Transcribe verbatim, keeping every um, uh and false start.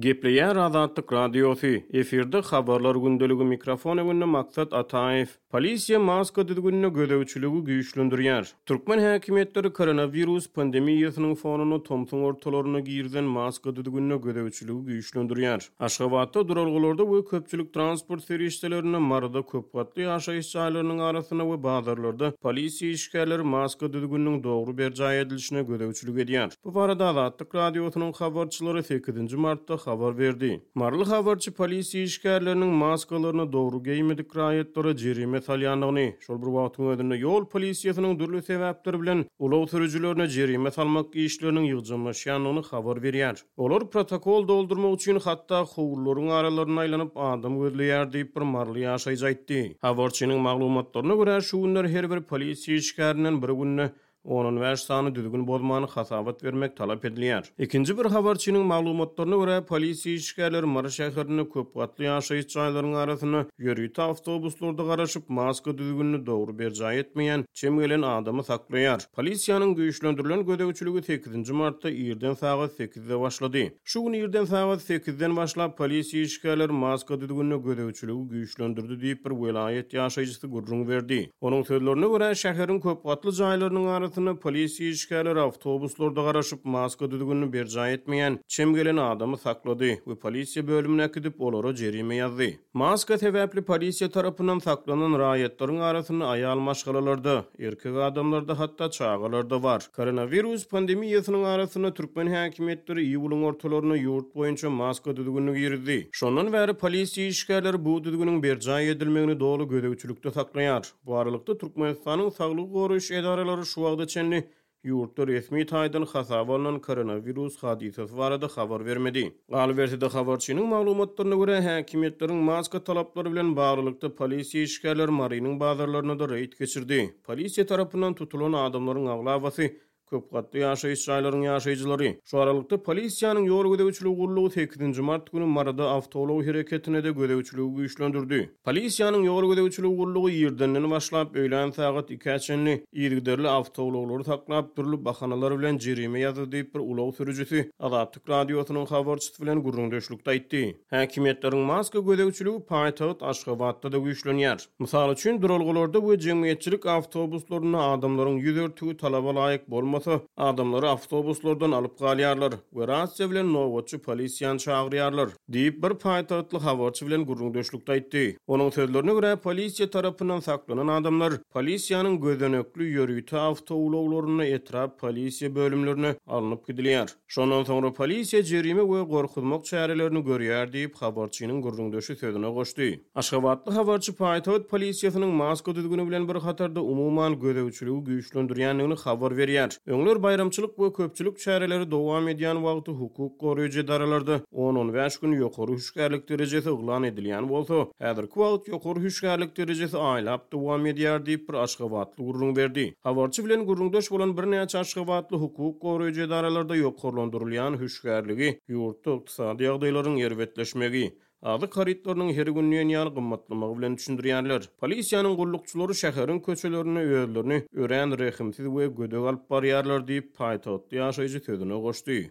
Gepleýär Azatlyk Radiosy, efirde Habarlar gündeligi, mikrofon öňünde Maksat Ataýew. Polisiýa maska düzgünine gözegçiligi güýçlendirýär. Türkmen häkimiýetleri koronawirus pandemiýasynyň fonunda tomsuň ortalaryna girizen maska düzgünine gözegçiligi güýçlendirýär. Aşgabatda duralgalarda we köpçülik transport serişdelerinde, Maryda köpgatly ýaşaýyş jaýlarynyň arasynda we bazarlarda polisiýa işgärleri maska düzgüniniň dogry berjaý edilişine gözegçilik edýär. Bu barada Azatlyk Radiosynyň habarçylary sekizinji martda habar berdi. Maryly habarçy polisiýa işgärleriniň maskalaryny dogry geýmedik raýatlara jerime salýandygyny, şol bir wagtyň özünde ýol polisiýasynyň dürli sebäpler bilen ulag sürüjilerine jerime salmak işleriniň ýygjamlaşýandygyny habar berýär. Olar protokol doldurmak üçin hatda howlularyň aralaryna aýlanyp adam gözleýär diýip bir maryly ýaşaýjy aýtdy. Habarçynyň maglumatlaryna görä, şu günler her bir polisiýa işgärinden bir günde on bäş sany düzgün bozmany hasabat bermek talap edilýär. Ikinji bir habarçynyň maglumatlaryna görä, polisiýa işgärleri Mary şäherinde köpgatly ýaşaýyş jaýlaryň arasynda ýörite awtobuslarda garaşyp, maska düzgünini dogry berjaý etmeýän çem gelen adamy saklaýar. Polisiýanyň güýçlendirilen gözegçiligi sekizinji martda irden sagat sekizde başlady. Şu gün irden sagat sekizden başlap polisiýa işgärleri maska düzgünine gözegçiligi güýçlendirdi diýip bir welaýat ýaşaýjysy gürrüň berdi. Onuň sözlerine görä, şäheriň köpgatly jaýlarynyň arasynda polisiýa işgärleri awtobuslarda garaşyp, maska düzgünini berjaý etmeýän çem gelen adamy saklady we polisiýa bölümine äkidip, olara jerime ýazdy. Maska sebäpli polisiýa tarapyndan saklanan raýatlaryň arasynda aýal maşgalalarda, erkek adamlarda, hatda çagalarda bar. Koronawirus pandemiýasynyň arasynda türkmen häkimiýetleri iýulyň ortalarynda ýurt boýunça maska düzgünini girizdi. Şondan bäri polisiýa işgärleri bu düzgünüň berjaý edilmegini doly gözegçilikde saklaýar. Bu aralykda Türkmenistanyň saglygy goraýyş edaralary şu wagta çenli ýurtda resmi taýdan hasaba alnan koronawirus hadysasy barada habar bermedi. Galyberse-de habarçynyň maglumatlaryna görä, häkimiýetleriň maska talaplary bilen baglylykda polisiýa işgärleri Marynyň bazarlarynda da reýd geçirdi. Polisiýa tarapyndan tutulan adamlaryň aglabasy köpgatly ýaşaýyş jaýlaryň ýaşaýjylary. Şu aralykda polisiýanyň ýol gözegçiligi gullugy sekizinji mart günü Maryda awtoulag hereketine de gözegçiligi güýçlendirdi. Polisiýanyň ýol gözegçiligi gullugy irdenden başlap öýlän sagat ikä çenli yzygiderli awtoulaglary saklap dürli bahanalar bilen jerime ýazdy diýip bir ulag sürüjisi Azatlyk Radiosynyň habarçysy bilen gürrüňdeşlikde aýtdy. Häkimiýetleriň maska gözegçiligi paýtagt Aşgabatda da güýçlenýär. Mysal üçin, duralgalarda we jemgyýetçilik awtobuslarynda adamlaryň ýüz örtügi talaba laýyk bolmasa, adamlary awtobuslardan alyp galýarlar we rasiýa bilen nobatçy polisiýany çagyrýarlar diýip bir paýtagtly habarçy bilen gürrüňdeşlikde aýtdy. Onuň sözlerine görä, polisiýa tarapyndan saklanan adamlar polisiýanyň gözenekli ýörite awtoulaglarynda etrap polisiýa bölümlerine alnyp gidilýär. Şondan soňra polisiýa jerime we gorkuzmak çärelerini görýär diýip habarçynyň gürrüňdeşi sözüne goşdy. Aşgabatly habarçy paýtagt polisiýasynyň maska düzgüni bilen bir hatarda umuman gözegçiligi güýçlendirýändigini habar berýär. Öňler baýramçylyk we köpçülik çäreleri dowam edýän wagty hukuk goraýjy edaralarda on-on bäş gün ýokary hüşgärlik derejesi yglan edilýän bolsa, häzirki wagt ýokary hüşgärlik derejesi aýlap dowam edýär diýip bir Aşgabatly gürrüň berdi. Habarçy bilen gürrüňdeş bolan birnäçe Aşgabatly hukuk goraýjy edaralarda ýokarlandyrylýan hüşgärligi ýurtda ykdysady ýagdaýlaryň erbetleşmegi, azyk harytlarynyň her gün diýen ýaly gymmatlamagy bilen düşündirýärler. Polisiýanyň gullukçylary şäheriň köçelerinde özlerini örän rehimsiz we gödek alyp barýarlar diýip paýtagtly ýaşaýjy sözüne goşdy.